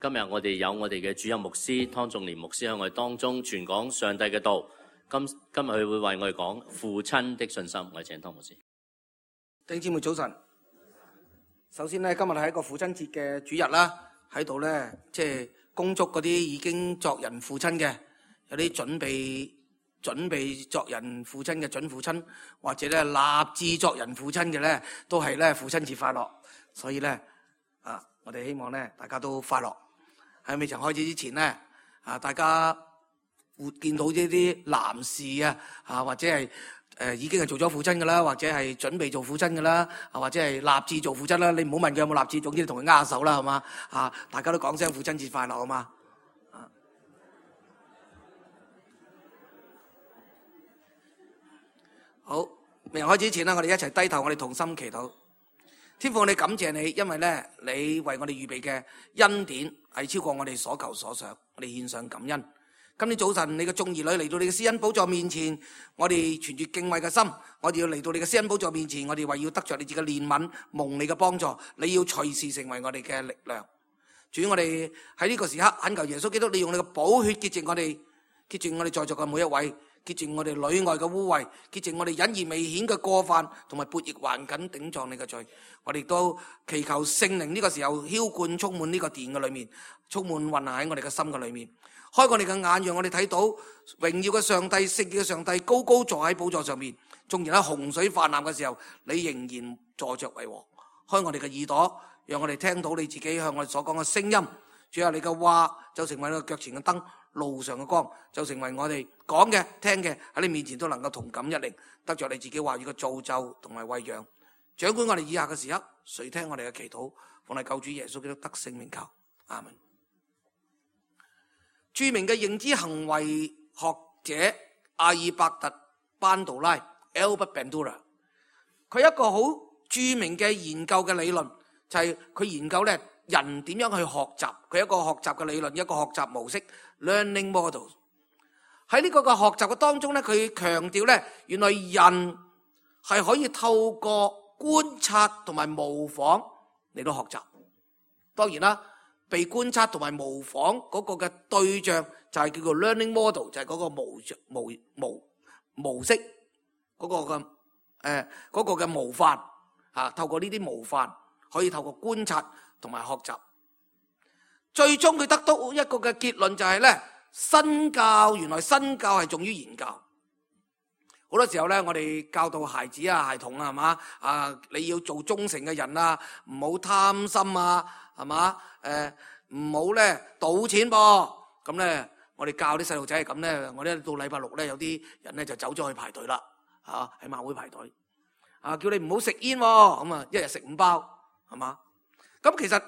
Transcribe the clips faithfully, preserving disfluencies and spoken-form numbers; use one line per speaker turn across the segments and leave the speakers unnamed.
今日我哋有我哋嘅主任牧師湯仲年牧師喺我哋當中傳講上帝嘅道。今今日佢會為我哋講父親的信心。我哋請湯牧師。
弟兄姊妹早晨。首先咧，今日係一個父親節嘅主日啦，喺度咧即係恭祝嗰啲已經作人父親嘅，有啲準備準備作人父親嘅準父親，或者咧立志作人父親嘅咧，都係咧父親節快樂。所以咧啊，我哋希望咧大家都快樂。喺未曾開始之前咧，啊大家會見到呢啲男士啊，啊或者係誒、呃、已經係做咗父親㗎啦，或者係準備做父親㗎啦，啊或者係立志做父親啦。你唔好問佢有冇立志，總之你同佢握下手啦，係嘛？啊，大家都講聲父親節快樂啊嘛！啊，好，未開始之前啦，我哋一齊低頭，我哋同心祈禱。天父，我哋感謝你，因為咧，你為我哋預備嘅恩典係超過我哋所求所想，我哋獻上感恩。今天早晨，你嘅眾兒女嚟到你嘅施恩寶座面前，我哋存住敬畏嘅心，我哋要嚟到你嘅施恩寶座面前，我哋為要得着你自己嘅憐憫，蒙你嘅幫助，你要隨時成為我哋嘅力量。主，我哋喺呢個時刻懇求耶穌基督，你用你嘅寶血潔淨我哋，潔淨我哋在座嘅每一位。潔淨我哋裏外嘅污穢，潔淨我哋隱而未顯嘅過犯，同埋悖逆頑梗頂撞你嘅罪。我哋都祈求聖靈呢個時候澆灌充滿呢個殿嘅裏面，充滿運行喺我哋嘅心嘅裏面，開我哋嘅眼，讓我哋睇到榮耀嘅上帝、聖潔嘅上帝高高坐喺寶座上面。縱然喺洪水泛濫嘅時候，你仍然坐着為王。開我哋嘅耳朵，讓我哋聽到你自己向我哋所講嘅聲音。主啊，你嘅話就成為我哋腳前嘅燈，路上嘅光就成為我哋講嘅聽嘅喺你面前都能夠同感一靈，得着你自己話語嘅造就同埋餵養。掌管我哋以下嘅時刻，垂聽我哋嘅祈禱，奉你救主耶穌基督得聖名求，阿門。著名嘅認知行為學者阿爾伯特班杜拉 Albert Bandura， 佢一個好著名嘅研究嘅理論就係、是、佢研究咧人點樣去學習，佢一個學習嘅理論，一個學習模式 learning model。 喺呢個嘅學習嘅當中咧，佢強調咧，原來人係可以透過觀察同埋模仿嚟到學習。當然啦，被觀察同埋模仿嗰個嘅對象就係叫做 learning model， 就係嗰個模模模模式嗰個嘅誒嗰個嘅模範啊，透過呢啲模範可以透過觀察同埋學習，最終佢得到一個嘅結論就係咧，身教原來身教係重於言教。好多時候咧，我哋教導孩子啊、孩童啊，係嘛啊，你要做忠誠嘅人啊，唔好貪心啊，係嘛誒，唔好咧賭錢噃。咁咧，我哋教啲細路仔係咁咧，我哋到禮拜六咧，有啲人咧就走咗去排隊啦，嚇喺馬會排隊啊，叫你唔好食煙喎，咁啊，一日食五包，係嘛？咁其實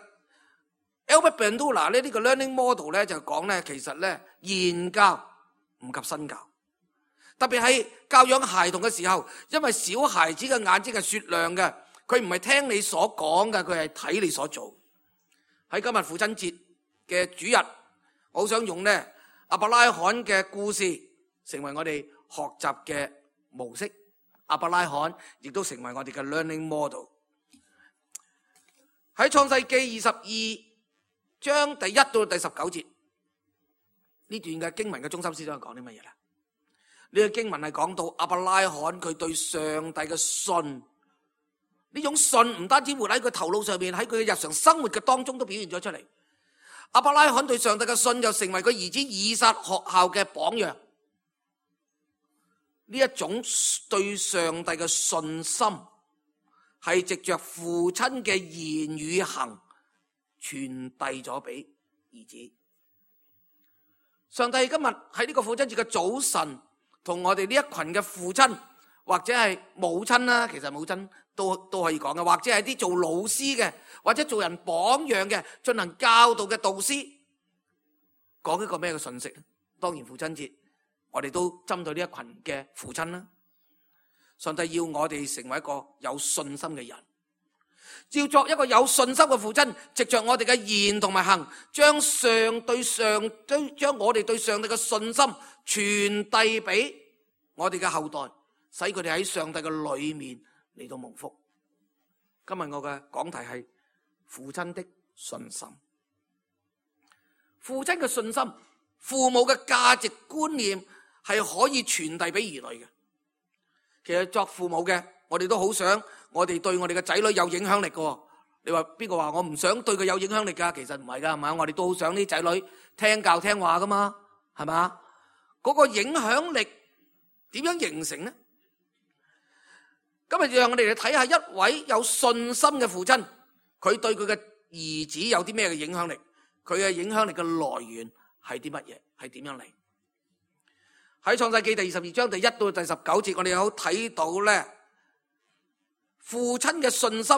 Albert Bandura 咧呢個 learning model 咧就講咧，其實咧言教唔及身教，特別係教養孩童嘅時候，因為小孩子嘅眼睛係雪亮嘅，佢唔係聽你所講嘅，佢係睇你所做。喺今日父親節嘅主日，我好想用咧亞伯拉罕嘅故事成為我哋學習嘅模式，亞伯拉罕亦都成為我哋嘅 learning model。喺創世記二十二章第一到第十九節呢段嘅經文嘅中心思想係講啲乜嘢咧？呢個經文係講到亞伯拉罕佢對上帝嘅信，呢種信唔單止活喺佢頭腦上面，喺佢嘅日常生活嘅當中都表現咗出嚟。亞伯拉罕對上帝嘅信就成為佢兒子以撒學校嘅榜樣。呢一種對上帝嘅信心係藉着父親嘅言語行傳遞咗俾兒子。上帝今日喺呢個父親節嘅早晨，同我哋呢一群嘅父親或者係母親啦，其實母親都都可以講嘅，或者係啲做老師嘅，或者做人榜樣嘅，進行教導嘅導師，講一個咩嘅信息？當然父親節，我哋都針對呢一群嘅父親啦。上帝要我哋成為一個有信心嘅人，要作一個有信心嘅父親，藉着我哋嘅言同埋行，將上對上將將我哋對上帝嘅信心傳遞俾我哋嘅後代，使佢哋喺上帝嘅裏面嚟到蒙福。今日我嘅講題係父親的信心。父親嘅信心、父母嘅價值觀念係可以傳遞俾兒女嘅。其實作父母嘅，我哋都好想我哋對我哋嘅仔女有影響力嘅。你話邊個話我唔想對佢有影響力噶？其實唔係噶，係嘛？我哋都好想啲仔女聽教聽話噶嘛，係嘛？嗰個影響力點樣形成呢？今日讓我哋嚟睇下一位有信心嘅父親，佢對佢嘅兒子有啲咩嘅影響力？佢嘅影響力嘅來源係啲乜嘢？係點樣嚟？喺創世記第二十二章第一到第十九節，我哋有睇到咧，父親嘅信心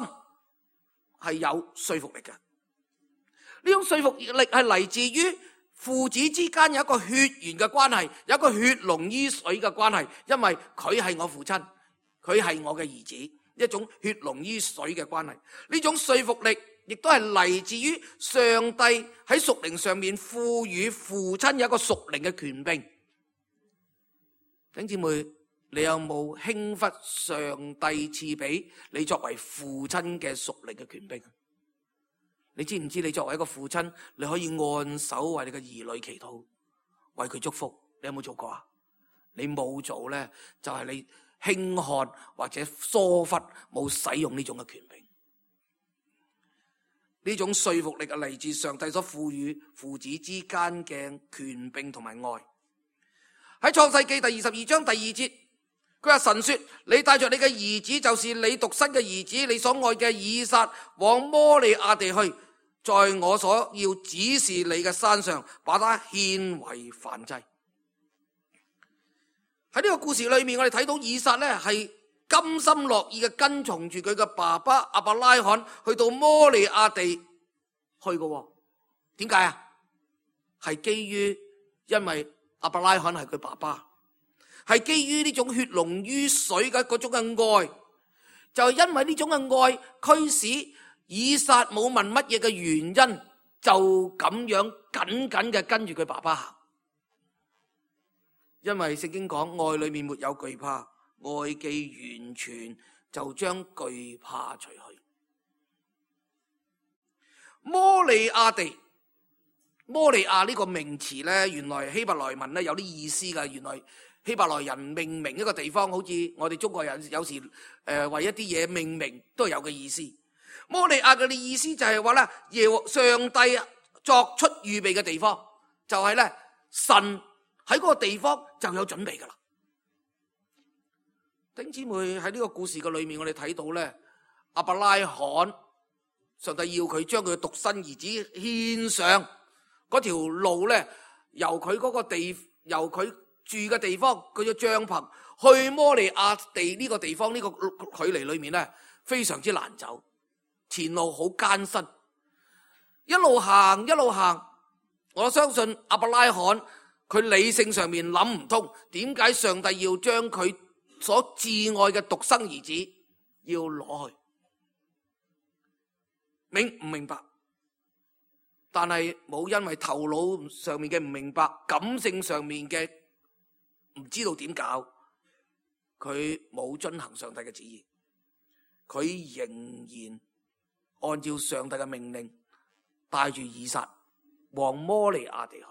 係有說服力嘅。呢種說服力係嚟自於父子之間有一個血緣嘅關係，有一個血濃於水嘅關係，因為佢係我父親，佢係我嘅兒子，一種血濃於水嘅關係。呢種說服力亦都係嚟自於上帝喺屬靈上面賦予父親有一個屬靈嘅權柄。弟兄姊妹，你有冇輕忽上帝賜俾你作為父親嘅屬靈嘅權柄？你知唔知你作為一個父親，你可以按手為你嘅兒女祈禱，為佢祝福？你有冇做過啊？你冇做咧，就係你輕看或者疏忽，冇使用呢種嘅權柄。呢種說服力係嚟自上帝所賦予父子之間嘅權柄同埋愛。喺創世記第二十二章第二節，佢話神說：你帶着你嘅兒子，就是你獨生嘅兒子，你所愛嘅以撒，往摩利亞地去，在我所要指示你嘅山上，把他獻為燔祭。喺呢個故事裏面，我哋睇到以撒呢係甘心樂意嘅跟從住佢嘅爸爸亞伯拉罕去到摩利亞地去嘅。點解啊？係基於因為亞伯拉罕係佢爸爸，係基於呢種血濃於水嘅嗰種嘅愛，就係因為呢種嘅愛驅使以撒冇問乜嘢嘅原因，就咁樣緊緊嘅跟住佢爸爸行。因為聖經講愛裏面沒有懼怕，愛既完全就將懼怕除去。摩利亞地，摩利亞呢個名詞呢，原來希伯來文呢有啲意思噶。原來希伯來人命名一個地方，好似我哋中國人有時誒、呃、為一啲嘢命名都係有嘅意思。摩利亞嘅意思就係話咧，耶和上帝作出預備嘅地方，就係咧神喺嗰個地方就有準備噶啦。弟兄姊妹，喺呢個故事嘅裏面，我哋睇到咧，亞伯拉罕上帝要佢將佢嘅獨生兒子獻上嗰條路咧，由佢嗰個地，由佢住嘅地方，佢嘅帳篷去摩利亞地呢個地方，呢個距離裏面咧非常之難走。前路好艱辛，一路行一路行，我相信亞伯拉罕佢理性上面諗唔通，點解上帝要將佢所摯愛嘅獨生兒子要攞去？明唔明白？但係冇因為頭腦上面嘅唔明白，感性上面嘅唔知道點搞，佢冇遵行上帝嘅旨意，佢仍然按照上帝嘅命令，帶住以撒往摩利亞地去。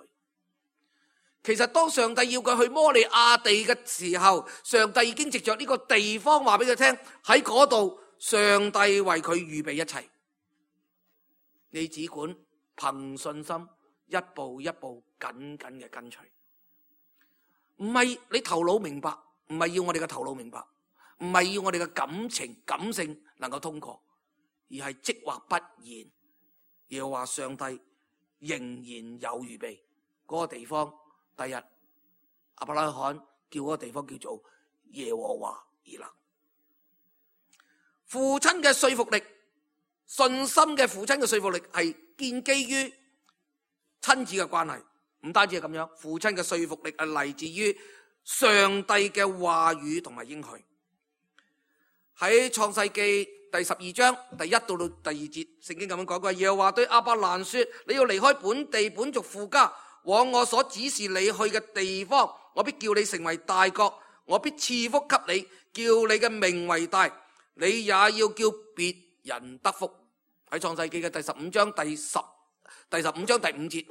其實當上帝要佢去摩利亞地嘅時候，上帝已經藉着呢個地方話俾佢聽，喺嗰度上帝為佢預備一切。你只管憑信心一步一步緊緊嘅跟隨，唔係你頭腦明白，唔係要我哋嘅頭腦明白，唔係要我哋嘅感情感性能夠通過，而係即或不然，要話上帝仍然有預備嗰個地方。第日亞伯拉罕叫嗰個地方叫做耶和華以勒。父親嘅說服力，信心嘅父親嘅說服力係建基於親子嘅關係，唔單止係咁樣，父親嘅說服力係嚟自於上帝嘅話語同埋應許。喺創世記第十二章第一到到第二節，聖經咁樣講過，耶和華對亞伯蘭說：你要離開本地本族父家，往我所指示你去嘅地方，我必叫你成為大國，我必賜福給你，叫你嘅名為大，你也要叫別人得福。喺創世記嘅第十五章第十第十五章第五節，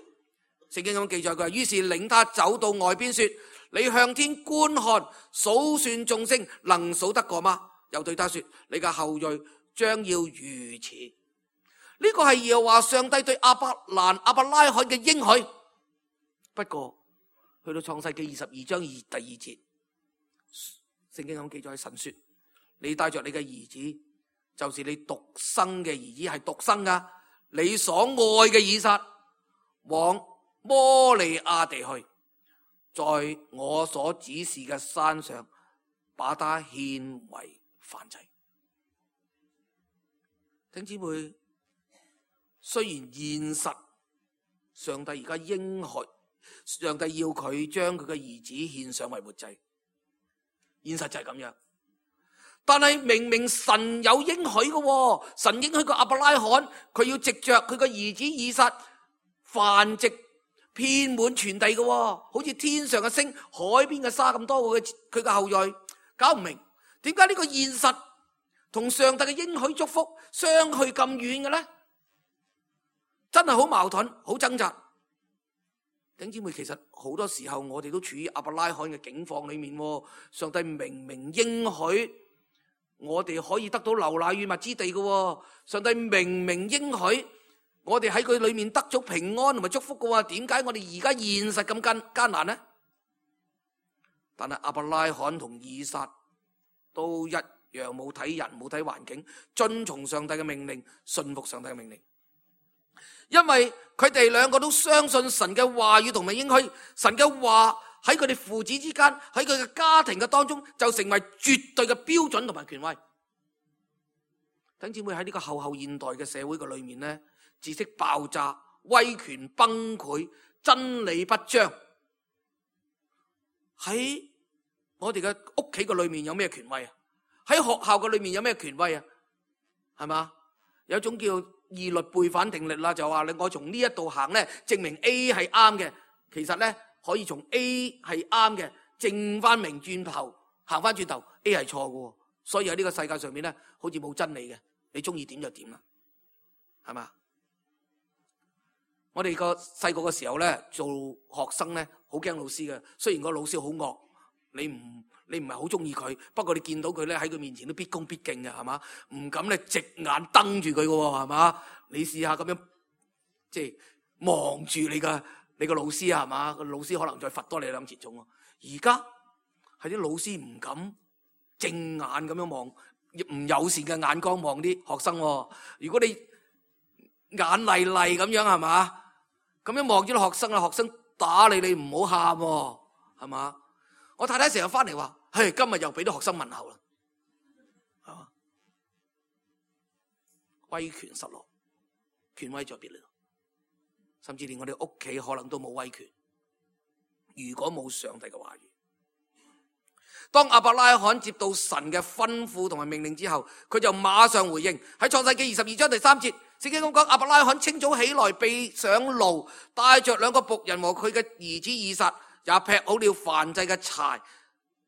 聖經咁記載，佢話於是領他走到外邊說：你向天觀看，數算眾星，能數得過嗎？又對他說：你嘅後裔將要如此。呢個係耶和華上帝對亞伯蘭、亞伯拉罕嘅應許。不過去到創世記二十二章二第二節，聖經咁記載，神說：你帶着你嘅兒子，就是你獨生嘅兒子，係獨生噶，你所愛嘅以撒，往摩利亞地去，在我所指示嘅山上，把他獻為燔祭。弟兄姊妹，雖然現實上帝而家應許，上帝要佢將佢嘅兒子獻上為活祭，現實就係咁樣。但係明明神有應許嘅，神應許個亞伯拉罕，佢要藉着佢個兒子以撒繁殖遍滿全地嘅，好似天上嘅星、海邊嘅沙咁多嘅佢嘅後裔，搞唔明點解呢個現實同上帝嘅應許祝福相去咁遠嘅咧？真係好矛盾，好掙扎。弟兄姊妹，其實好多時候我哋都處於亞伯拉罕嘅境況裏面，上帝明明應許我哋可以得到流奶與蜜之地嘅，上帝明明應許我哋喺佢裏面得咗平安同埋祝福嘅，點解我哋而家現實咁艱艱難呢？但係亞伯拉罕同以撒都一樣冇睇人，冇睇環境，遵從上帝嘅命令，信服上帝嘅命令。因為佢哋兩個都相信神嘅話語同埋應許，神嘅話喺佢哋父子之間，喺佢嘅家庭嘅當中就成為絕對嘅標準同埋權威。弟兄姊妹，喺呢個後後現代嘅社會嘅裏面呢，知識爆炸，威權崩潰，真理不彰。喺我哋嘅屋企嘅裏面有咩權威啊？喺學校嘅裏面有咩權威啊？係嘛？有一種叫二律背反定律啦，就話你我從呢一度行咧，證明 A 係啱嘅，其實咧可以從 A 係啱嘅，證翻明轉頭行翻轉頭 A 係錯嘅，所以喺呢個世界上面咧，好似冇真理嘅，你中意點就點啦，係嘛？我哋個細個嘅時候咧，做學生咧，好驚老師嘅，雖然個老師好惡，你唔你唔係好中意佢，不過你見到佢咧喺佢面前都必恭必敬嘅，係嘛？唔敢咧直眼瞪住佢嘅，係嘛？你試下咁樣，即係望住你嘅你個老師啊，係嘛？個老師可能再罰多你兩次鐘。而家係啲老師唔敢正眼咁樣望，唔友善嘅眼光望啲學生。如果你眼厲厲咁樣，係嘛？咁樣望住啲學生啊，學生打你，你唔好喊，係嘛？我太太成日翻嚟話，嘿，今日又俾啲學生問候啦，係嘛？威權失落，權威在別離，甚至連我哋屋企可能都冇威權。如果冇上帝嘅話語，當亞伯拉罕接到神嘅吩咐同埋命令之後，佢就馬上回應。喺創世記二十二章第三節，聖經咁講：亞伯拉罕清早起來，備上驢，帶着兩個僕人和佢嘅兒子以撒，也劈好了燔祭嘅柴，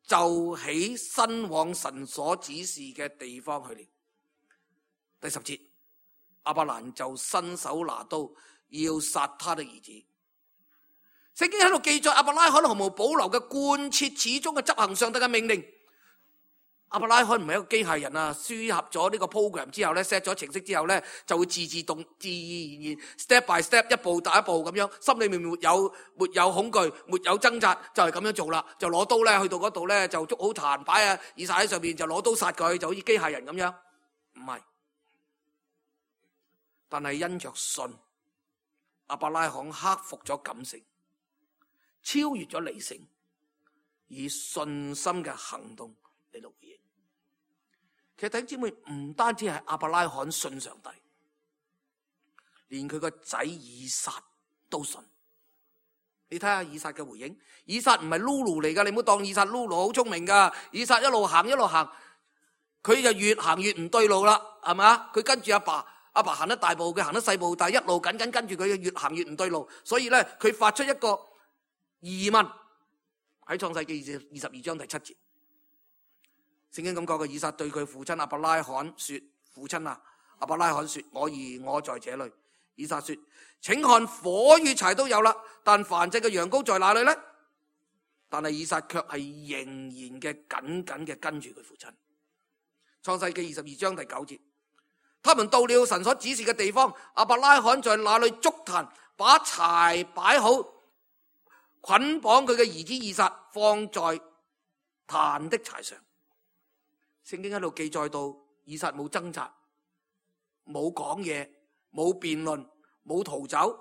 就起身往神所指示嘅地方去了。第十節，亞伯蘭就伸手拿刀要殺他的兒子。聖經喺度記載亞伯拉罕毫無保留嘅貫徹始終嘅執行上帝嘅命令。亞伯拉罕唔係一個機械人啊，輸入咗呢個 program 之後咧 set 咗程式之後咧，就會自自動自然然 step by step 一步打一步咁樣，心裏面沒有沒有恐懼，沒有掙扎，就係咁樣做啦。就攞刀咧去到嗰度咧，就捉好壇擺啊，以撒喺上面就攞刀殺佢，就好似機械人咁樣。唔係，但係因着信，亞伯拉罕克服咗感性，超越咗理性，以信心嘅行動嚟到回應。其實弟兄姊妹，唔單止係亞伯拉罕信上帝，連佢個仔以撒都信。你睇下以撒嘅回應，以撒唔係 Lulu 嚟噶，你唔好當以撒 Lulu 好聰明噶。以撒一路行一路行，佢就越行越唔對路啦，係咪？佢跟住阿爸，阿爸行得大步，佢行得細步，但係一路緊緊跟住佢，越行越唔對路。所以咧，佢發出一個疑問喺創世記二十二章第七節。聖經咁講嘅，以撒對佢父親亞伯拉罕說：父親啊，亞伯拉罕說：我兒，我在這裏。以撒說：請看，火與柴都有啦，但燔祭嘅羊羔在哪裏呢？但係以撒卻係仍然嘅緊緊嘅跟住佢父親。創世記二十二章第九節，他們到了神所指示嘅地方，亞伯拉罕在那裏築壇，把柴擺好，捆綁佢嘅兒子以撒，放在壇的柴上。聖經喺度記載到，以撒冇掙扎，冇講嘢，冇辯論，冇逃走，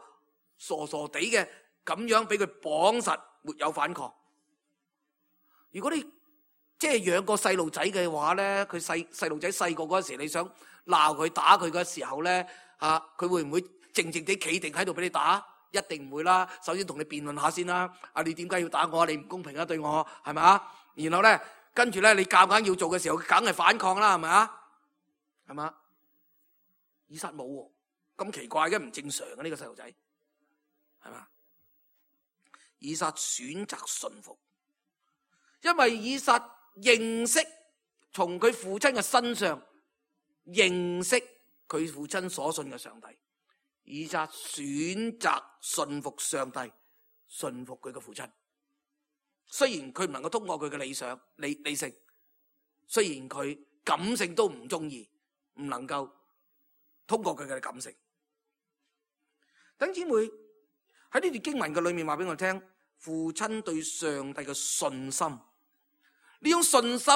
傻傻地嘅咁樣俾佢綁實，沒有反抗。如果你即係養個細路仔嘅話咧，佢細細路仔細個嗰時，你想鬧佢打佢嘅時候咧，啊，佢會唔會靜靜地企定喺度俾你打？一定唔會啦。首先同你辯論下先啦。啊，你點解要打我啊？你唔公平啊，對我係咪啊？然後咧，跟住咧，你夾硬要做嘅時候，佢梗係反抗啦，係咪啊？係嘛？以撒冇喎，咁奇怪嘅，唔正常嘅呢個細路仔，係嘛？以撒選擇順服。因為以撒認識從佢父親嘅身上認識佢父親所信嘅上帝，以撒選擇順服上帝，順服佢嘅父親。雖然佢唔能夠通過佢嘅理想理理性，雖然佢感性都唔中意，唔能夠通過佢嘅感性。弟兄姊妹，喺呢段經文嘅裏面話俾我聽，父親對上帝嘅信心。呢種信心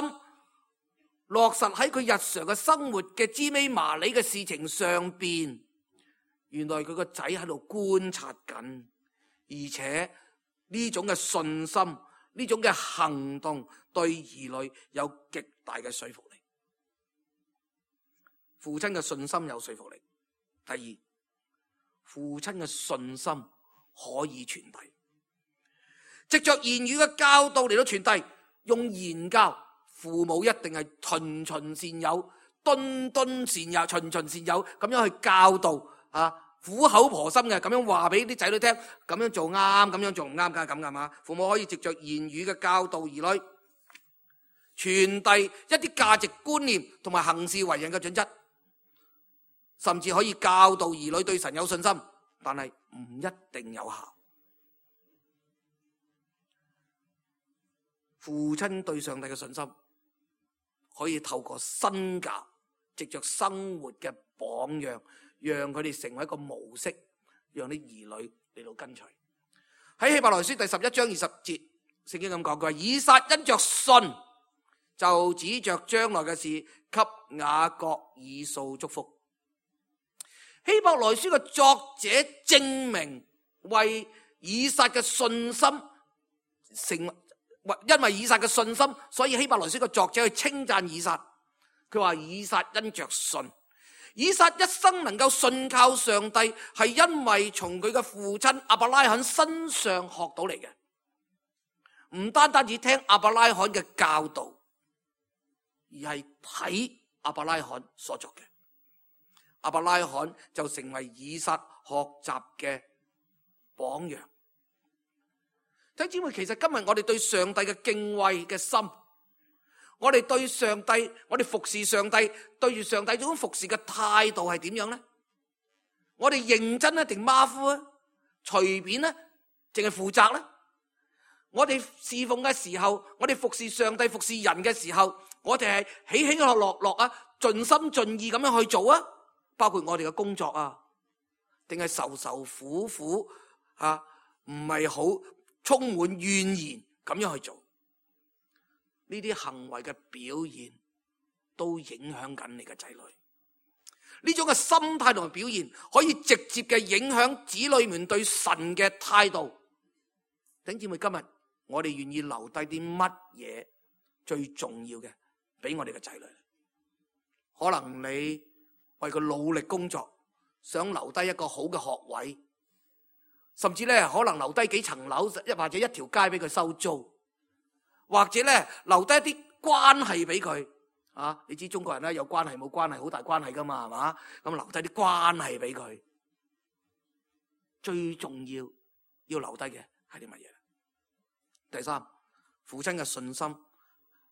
落實喺佢日常嘅生活嘅芝麻麻利嘅事情上邊，原來佢個仔喺度觀察緊，而且呢種嘅信心，呢種嘅行動對兒女有極大嘅說服力。父親嘅信心有說服力。第二，父親嘅信心可以傳遞，藉着言語嘅教導嚟到傳遞。用言教，父母一定係循循善誘、敦敦善誘、循循善誘咁樣去教導啊，苦口婆心嘅咁樣話俾啲仔女聽，咁樣做啱，咁樣做唔啱，梗係咁噶嘛。父母可以藉着言語嘅教導兒女，傳遞一啲價值觀念同埋行事為人嘅準則，甚至可以教導兒女對神有信心，但係唔一定有效。父親對上帝嘅信心可以透過身教，藉着生活嘅榜樣，讓佢哋成為一個模式，讓啲兒女嚟到跟隨。喺希伯來書第十一章二十節，聖經咁講，佢話以撒因着信，就指着將來嘅事給雅各以掃祝福。希伯來書嘅作者證明為以撒嘅信心成。因為以撒嘅信心，所以希伯來書嘅作者去稱讚以撒。佢話以撒因着信，以撒一生能夠信靠上帝，係因為從佢嘅父親亞伯拉罕身上學到嚟嘅。唔單單只聽亞伯拉罕嘅教導，而係睇亞伯拉罕所作嘅。亞伯拉罕就成為以撒學習嘅榜樣。弟兄姊妹，其實今日我哋對上帝嘅敬畏嘅心，我哋對上帝，我哋服侍上帝，對住上帝這種服侍嘅態度係點樣呢？我哋認真咧定馬虎啊？隨便咧，淨係負責咧？我哋侍奉嘅時候，我哋服侍上帝、服侍人嘅時候，我哋係起起落落落啊，盡心盡意咁樣去做啊？包括我哋嘅工作啊，定係愁愁苦苦啊？唔係好充滿怨言咁樣去做，呢啲行為嘅表現都影響緊你嘅仔女。呢種嘅心態同埋表現，可以直接嘅影響子女們對神嘅態度。弟兄姊妹，今日我哋願意留低啲乜嘢最重要嘅俾我哋嘅仔女？可能你為佢努力工作，想留低一個好嘅學位。甚至咧，可能留低幾層樓，一或者一條街俾佢收租，或者咧留低一啲關係俾佢啊！你知中國人咧有關係冇關係，好大關係噶嘛，係嘛？咁留低啲關係俾佢，最重要要留低嘅係啲乜嘢？第三，父親嘅信心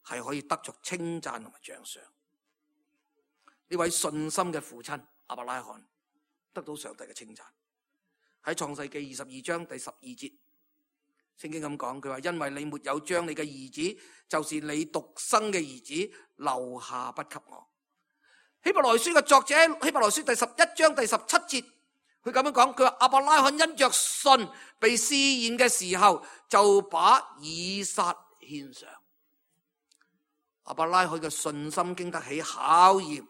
係可以得着稱讚同埋獎賞。呢位信心嘅父親亞伯拉罕，得到上帝嘅稱讚。喺創世記二十二章第十二節，聖經咁講，佢話因為你沒有將你嘅兒子，就是你獨生嘅兒子留下不給我。希伯來書嘅作者，希伯來書第十一章第十七節，佢咁樣講，佢話亞伯拉罕因着信被試驗嘅時候，就把以撒獻上。亞伯拉罕嘅信心經得起考驗。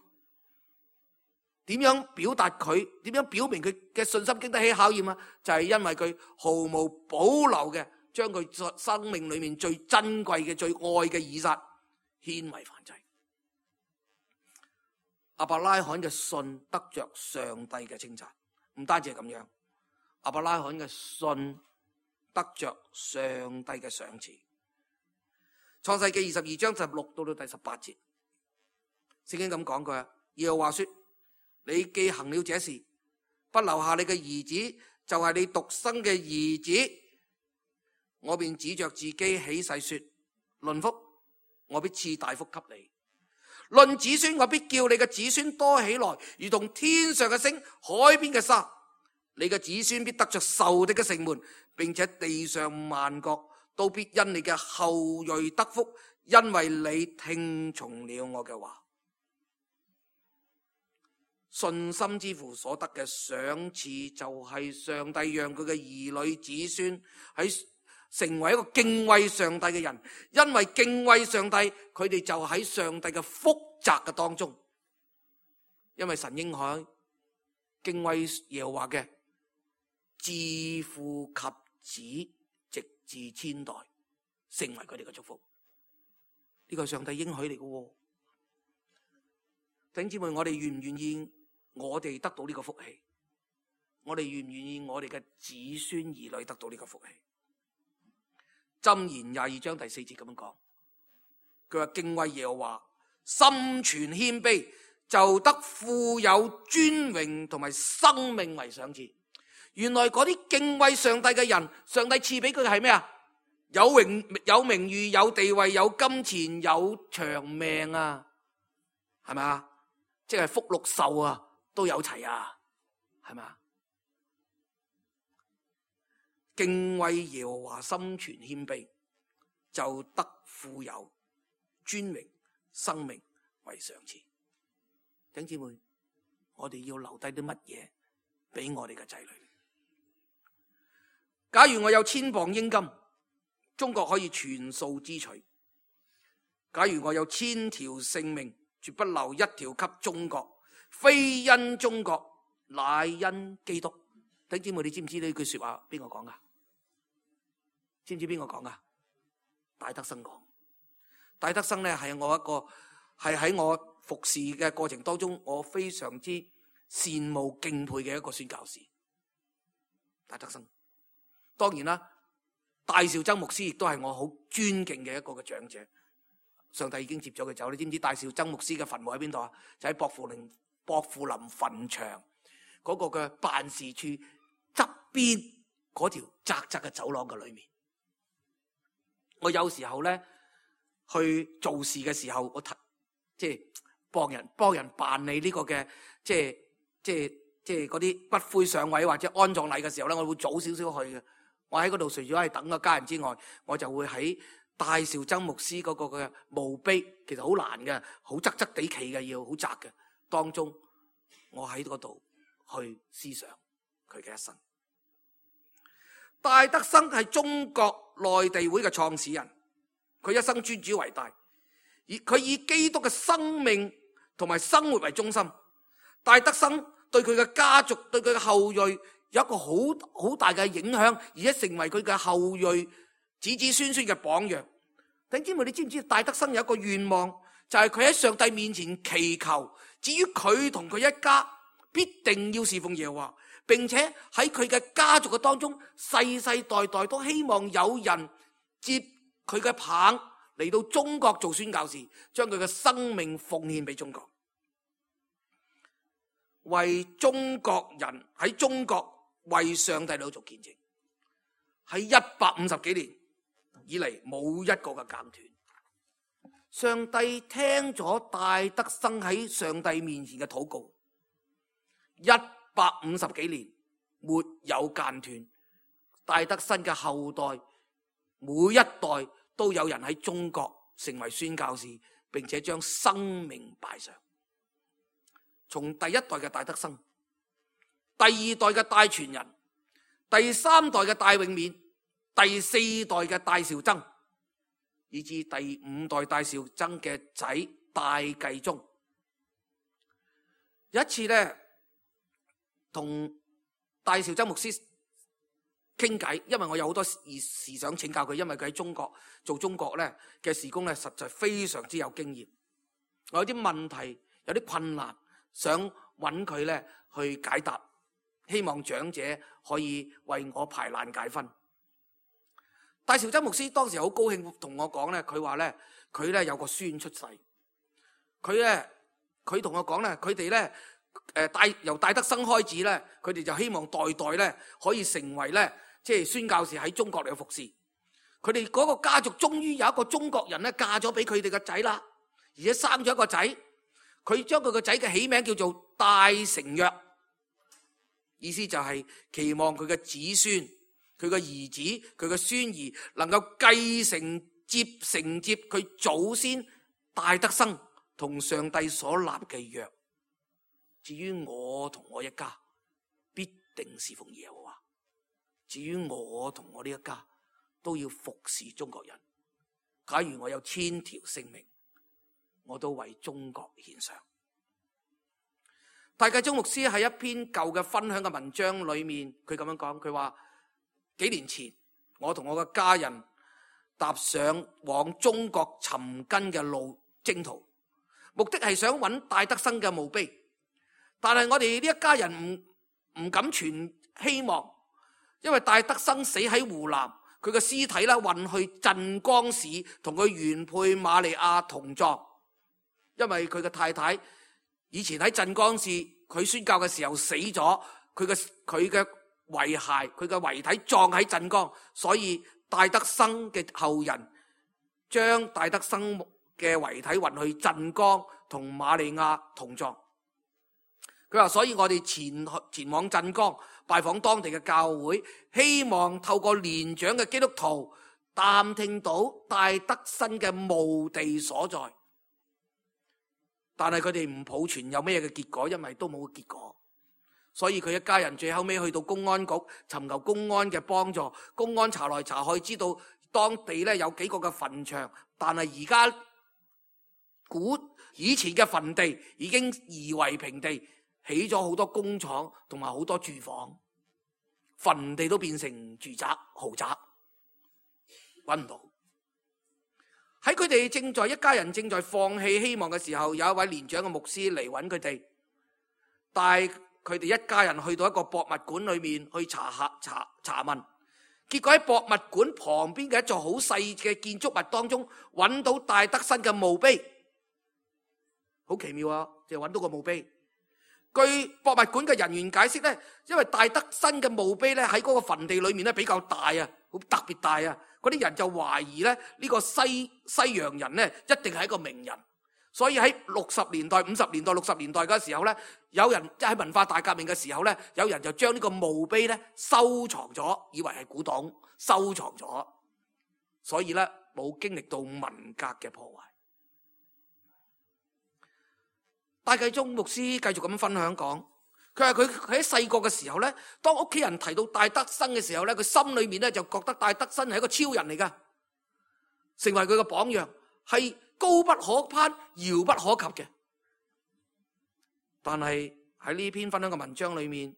點樣表達佢？點樣表明佢嘅信心經得起考驗啊？就係因為佢毫無保留嘅將佢生命裏面最珍貴嘅、最愛嘅以撒獻為燔祭。亞伯拉罕嘅信得着上帝嘅稱讚，唔單止係咁樣，亞伯拉罕嘅信得着上帝嘅賞賜。創世記二十二章十六到到第十八節，聖經咁講佢話，耶和華說：你既行了這事，不留下你嘅兒子，就係你獨生嘅兒子，我便指着自己起誓說：論福，我必賜大福給你；論子孫，我必叫你嘅子孫多起來，如同天上嘅星、海邊嘅沙。你嘅子孫必得着仇敵嘅城門，並且地上萬國都必因你嘅後裔得福，因為你聽從了我嘅話。信心之父所得嘅賞賜，就係上帝讓佢嘅兒女子孫喺成為一個敬畏上帝嘅人，因為敬畏上帝，佢哋就喺上帝嘅福澤嘅當中。因為神應許敬畏耶和華嘅，自父及子，直至千代，成為佢哋嘅祝福。呢個係上帝應許嚟嘅。弟兄姊妹，我哋願唔願意我哋得到呢個福氣？我哋願唔願意我哋嘅子孫兒女得到呢個福氣？箴言廿二章第四節咁樣講，佢話敬畏耶和華，心存謙卑，就得富有尊榮同埋生命為賞賜。原來嗰啲敬畏上帝嘅人，上帝賜俾佢嘅係咩啊？有榮有名譽、有地位、有金錢、有長命啊，係咪啊？即係福祿壽啊，都有齊啊，係咪啊？敬畏耶和華，心存謙卑，就得富有、尊榮、生命為賞賜。弟兄姊妹，我哋要留低啲乜嘢俾我哋嘅仔女？假如我有千磅英金，中國可以全數支取；假如我有千條性命，絕不留一條給中國，非因中國，乃因基督。弟兄姊妹，你知唔知呢句說話邊個講噶？知唔知邊個講噶？戴德生講。戴德生咧係我一個係喺我服侍嘅過程當中，我非常之羨慕敬佩嘅一個宣教士。戴德生，當然啦，戴紹曾牧師亦都係我好尊敬嘅一個嘅長者。上帝已經接咗佢走，你知唔知戴紹曾牧師嘅墳墓喺邊度啊？就喺薄扶林薄扶林墳場嗰個嘅辦事處側邊嗰條窄窄嘅走廊嘅裏面。我有時候咧去做事嘅時候，我即係幫人幫人辦理呢個嘅即係即係即係嗰啲骨灰上位或者安葬禮嘅時候咧，我會早少少去嘅。我喺嗰度除咗係等個家人之外，我就會喺戴紹曾牧師嗰個嘅墓碑，其實好難嘅，好側側地企嘅，要好窄嘅。當中我喺嗰度去思想佢嘅一生。戴德生係中國內地會嘅創始人，佢一生尊主為大，而佢以基督嘅生命同埋生活為中心。戴德生對佢嘅家族、對佢嘅後裔有一個好好大嘅影響，而且成為佢嘅後裔子子孫孫嘅榜樣。弟兄姊妹，你知唔知戴德生有一個願望，就係佢喺上帝面前祈求，至於佢同佢一家必定要侍奉耶和華，並且喺佢嘅家族嘅當中，世世代代都希望有人接佢嘅棒嚟到中國做宣教士，將佢嘅生命奉獻俾中國，為中國人喺中國為上帝嚟做見證。喺一百五十幾年以嚟冇一個嘅間斷。上帝聽咗戴德生喺上帝面前嘅禱告，一百五十幾年沒有間斷。戴德生嘅後代每一代都有人喺中國成為宣教士，並且將生命擺上。從第一代嘅戴德生，第二代嘅戴傳仁，第三代嘅戴永勉，第四代嘅戴兆曾，以至第五代戴兆曾嘅仔戴繼宗。有一次呢，同戴兆曾牧師傾偈，因為我有好多事想請教佢，因為佢喺中國做中國咧嘅事工咧，實在非常之有經驗。我有啲問題，有啲困難，想揾佢咧去解答，希望長者可以為我排難解紛。戴兆曾牧師當時好高興同我講咧，佢話咧佢咧有個孫出世，佢咧佢同我講咧，佢哋咧誒戴由戴德生開始咧，佢哋就希望代代咧可以成為咧即係宣教士喺中國嚟服侍。佢哋嗰個家族終於有一個中國人咧嫁咗俾佢哋個仔啦，而且生咗一個仔。佢將佢個仔嘅起名叫做戴承約，意思就係期望佢嘅子孫、佢嘅兒子、佢嘅孫兒能夠繼承接承接佢祖先戴德生同上帝所立嘅約。至於我同我一家，必定侍奉耶和華。至於我同我呢一家，都要服侍中國人。假如我有千條性命，我都為中國獻上。戴繼宗牧師喺一篇舊嘅分享嘅文章裏面，佢咁樣講，佢話幾年前我同我嘅家人踏上往中國尋根嘅路征途，目的係想揾戴德生嘅墓碑，但係我哋呢一家人唔唔敢存希望，因為戴德生死喺湖南，佢嘅屍體咧運去鎮江市同佢原配瑪利亞同葬。因為佢嘅太太以前喺鎮江市，佢宣教嘅時候死咗，佢嘅佢嘅遺骸，佢嘅遺體葬喺鎮江，所以戴德生嘅後人將戴德生嘅遺體運去鎮江同瑪利亞同葬。佢話，所以我哋前前往鎮江拜訪當地嘅教會，希望透過年長嘅基督徒探聽到戴德生嘅墓地所在。但係佢哋唔抱存有咩嘅結果，因為都冇結果，所以佢一家人最後尾去到公安局尋求公安嘅幫助。公安查來查去，知道當地咧有幾個嘅墳場，但係而家古以前嘅墳地已經夷為平地，起咗好多工廠同埋好多住房，墳地都變成住宅豪宅，揾唔到。喺佢哋正在一家人正在放棄希望嘅時候，有一位年長嘅牧師嚟揾佢哋，帶佢哋一家人去到一個博物館裏面去查下查查問。結果喺博物館旁邊嘅一座好細嘅建築物當中，揾到戴德生嘅墓碑，好奇妙啊！就揾到個墓碑。據博物館嘅人員解釋咧，因為戴德生嘅墓碑咧喺嗰個墳地裏面咧比較大啊，好特別大啊。嗰啲人就懷疑咧呢個西西洋人咧一定係一個名人，所以喺六十年代、五十年代、六十年代嘅時候咧，有人即係喺文化大革命嘅時候咧，有人就將呢個墓碑咧收藏咗，以為係古董，收藏咗，所以咧冇經歷到文革嘅破壞。戴繼宗牧師繼續咁分享講，佢話佢喺細個嘅時候咧，當屋企人提到戴德生嘅時候咧，佢心裏面咧就覺得戴德生係一個超人嚟噶，成為佢嘅榜樣，係高不可攀、遙不可及嘅。但係喺呢篇分享嘅文章裏面，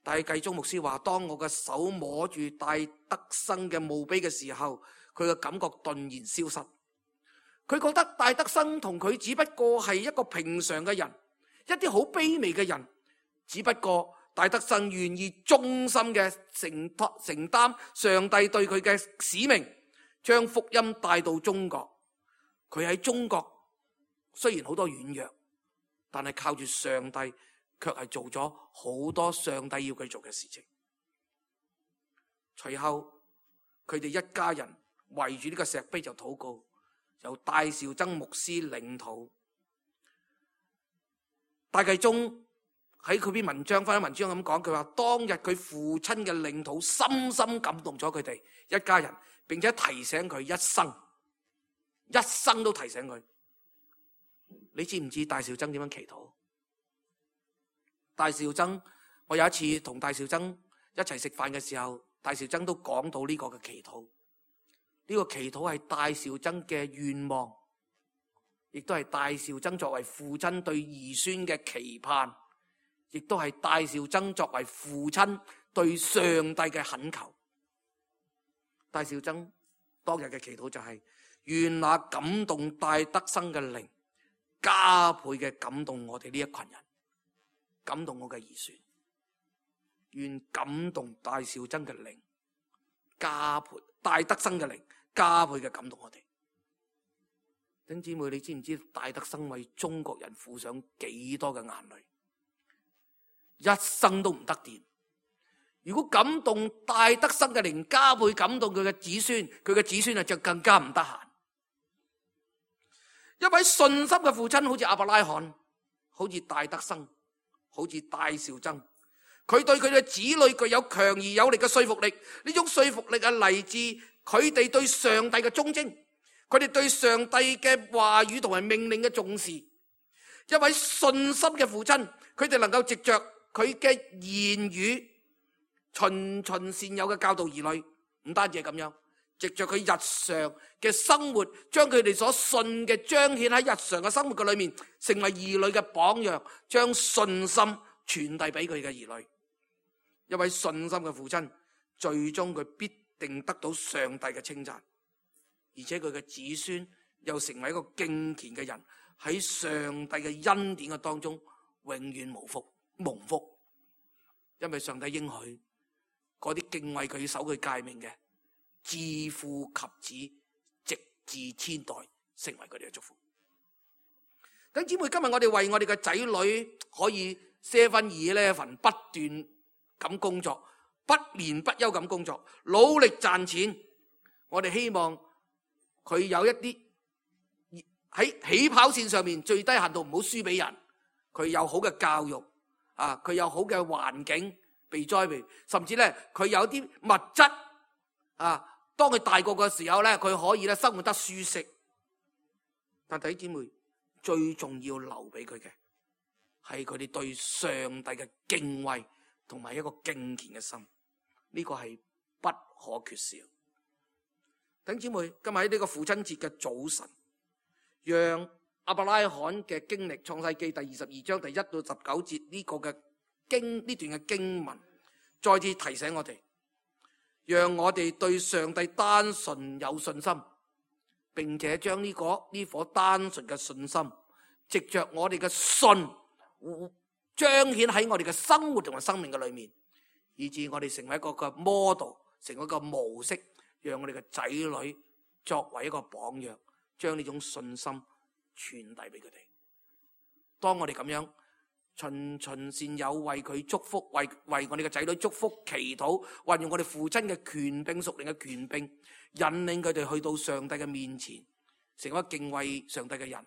戴繼宗牧師話，當我嘅手摸住戴德生嘅墓碑嘅時候，佢嘅感覺頓然消失。佢覺得戴德生同佢只不過係一個平常嘅人，一啲好卑微嘅人。只不過戴德生願意忠心嘅承托承擔上帝對佢嘅使命，將福音帶到中國。佢喺中國雖然好多軟弱，但係靠住上帝，卻係做咗好多上帝要佢做嘅事情。隨後佢哋一家人圍住呢個石碑就禱告，由戴兆曾牧師領禱。戴繼宗喺佢篇文章翻文章咁講，佢話當日佢父親嘅領土深深感動咗佢哋一家人，並且提醒佢一生，一生都提醒佢。你知唔知戴兆曾點樣祈禱？戴兆曾，我有一次同戴兆曾一齊食飯嘅時候，戴兆曾都講到呢個嘅祈禱。呢個祈禱係戴兆曾嘅願望，亦都係戴兆曾作為父親對兒孫嘅期盼，亦都係戴兆曾作為父親對上帝嘅懇求。戴兆曾當日嘅祈禱就係、是、願那感動戴德生嘅靈加倍嘅感動我哋呢一群人，感動我嘅兒孫。願感動戴兆曾嘅靈加倍，戴德生嘅靈加倍嘅感動我哋。弟兄姊妹，你知唔知戴德生為中國人付上幾多嘅眼淚？一生都唔得掂。如果感動戴德生嘅靈加倍感動佢嘅子孫，佢嘅子孫啊就更加唔得閒。一位信心嘅父親，好似亞伯拉罕，好似戴德生，好似戴兆曾，佢對佢嘅子女具有強而有力嘅說服力。呢種說服力係嚟自佢哋對上帝嘅忠貞，佢哋對上帝嘅話語同埋命令嘅重視。一位信心嘅父親，佢哋能夠藉着佢嘅言語循循善誘嘅教導兒女，唔單止係咁樣，藉着佢日常嘅生活，將佢哋所信嘅彰顯喺日常嘅生活嘅裏面，成為兒女嘅榜樣，將信心傳遞俾佢嘅兒女。一位信心嘅父親，最終佢必定得到上帝嘅稱讚，而且佢嘅子孫又成為一個敬虔嘅人，喺上帝嘅恩典嘅當中永遠無福蒙福。因為上帝應許嗰啲敬畏佢守佢誡命嘅，自父及子，直至千代，成為佢哋嘅祝福。弟兄姊妹，今日我哋為我哋嘅仔女可以seven eleven不斷咁工作，不眠不休咁工作，努力賺錢。我哋希望佢有一啲喺起跑線上面最低限度唔好輸俾人，佢有好嘅教育啊，佢有好嘅環境被栽培，甚至咧佢有啲物質啊，當佢大個嘅時候咧，佢可以咧生活得舒適。但弟兄姊妹，最重要留俾佢嘅係佢哋對上帝嘅敬畏同埋一個敬虔嘅心，呢個係不可缺少。弟兄姊妹，今日喺呢個父親節嘅早晨，讓亞伯拉罕嘅經歷，創世記第二十二章第一到十九節呢個嘅經呢段嘅經文，再次提醒我哋，讓我哋對上帝單純有信心，並且將呢個呢顆單純嘅信心，藉着我哋嘅信彰顯喺我哋嘅生活同埋生命嘅裏面，以致我哋成為一個嘅 model， 成為一個模式，讓我哋嘅仔女作為一個榜樣，將呢種信心傳遞俾佢哋。當我哋咁樣循循善誘，為佢祝福，為為我哋嘅仔女祝福祈禱，運用我哋父親嘅權柄、屬靈嘅權柄，引領佢哋去到上帝嘅面前，成為敬畏上帝嘅人，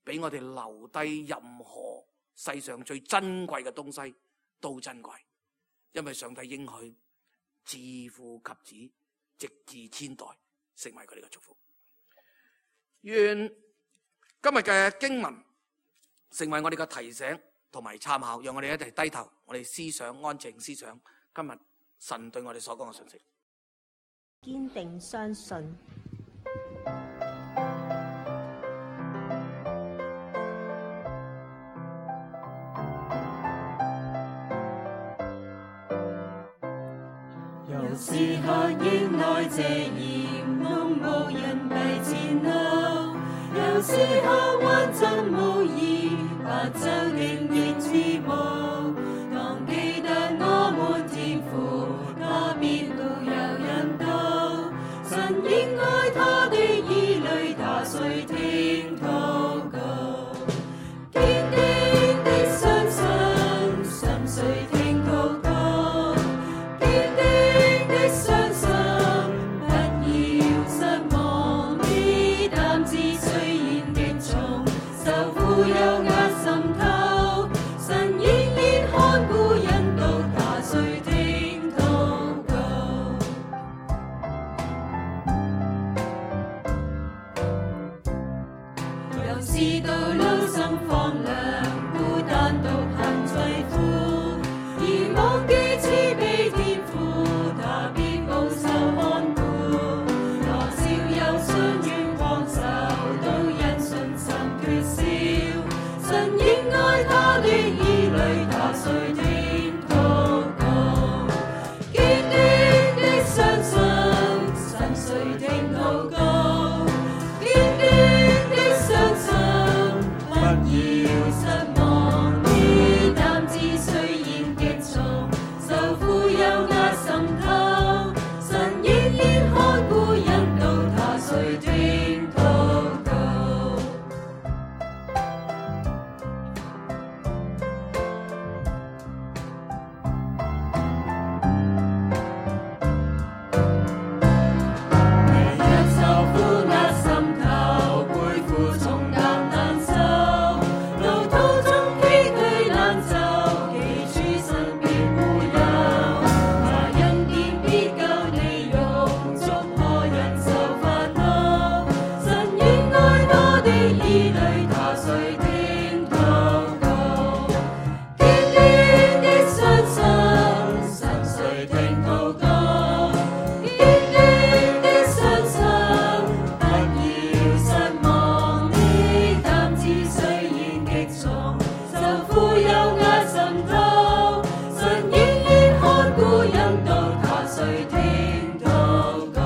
俾我哋留低任何世上最珍貴嘅東西都珍貴，因為上帝應許自父及子，直至千代，成為佢哋嘅祝福。願今日嘅經文成為我哋嘅提醒同埋參考，讓我哋一齊低頭，我哋思想安靜思想今日神對我哋所講嘅信息。
堅定相信。
有時候迎來這嚴冬，無人避前路，有時候混沌無依，白晝竟然似霧。當記得我們天父，他必路有引導，神應愛他的兒女，他垂聽禱告，堅定的相信，心垂聽禱告，堅定的相信，不要失望，你擔子雖然極重，受苦有壓心頭，神應知道路心荒涼，孤單獨行凄苦，而忘記慈悲天父，他必保守看顧。多少憂傷與荒愁，都因信心缺少。神應愛他的兒女，他垂聽禱告。堅定的相信，神垂聽禱告。堅定的相信，不要失望。你擔子雖然極重，受苦有壓滲透，神仍然看顧引導，他垂聽禱告。你若受苦壓心頭，背負重擔難受，路途中崎嶇難走，記住神必護佑。他恩典必救你，用足可忍受煩惱。神應愛他的兒女，他垂聽禱告。堅定的相信，神垂聽禱告。堅定的相信，不要失望。你擔子雖然極重，受苦有壓滲透，神仍然看顧引導，他垂聽禱告。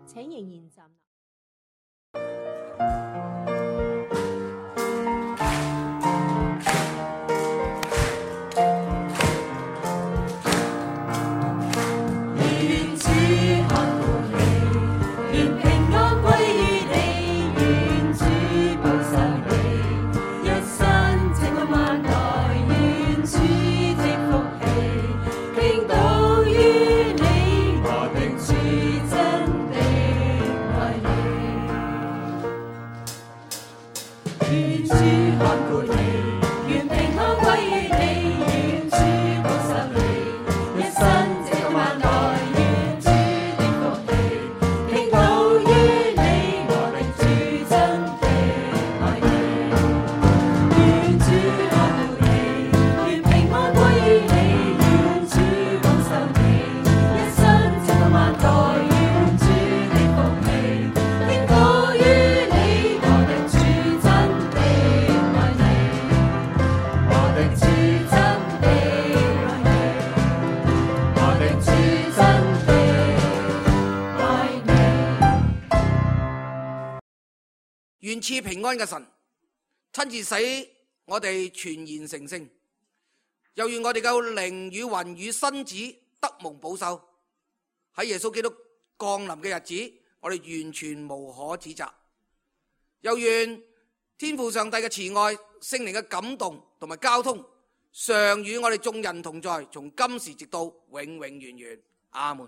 請仍然站立。
願主看顧你，願平安歸於你，願主保守你，一生直到萬代，願主的福氣傾倒於你，我的主真的愛你。願主看顧你，願平安歸於你，願主保守你，一生直到萬代，願主的福氣傾倒於你，我的主真的愛你。願主看顧你，願平安歸於你，願主保守你，一生直到萬代，願主的福氣傾倒於你，我的主真的愛你。我的主真的愛你，我的主真的愛你。
願賜平安嘅神親自使我哋全然成聖，又願我哋嘅靈與魂與身子得蒙保守，喺耶穌基督降臨嘅日子，我哋完全無可指責。又願天父上帝嘅慈愛、聖靈嘅感動同埋交通，常與我哋眾人同在，從今時直到永永遠遠。阿門。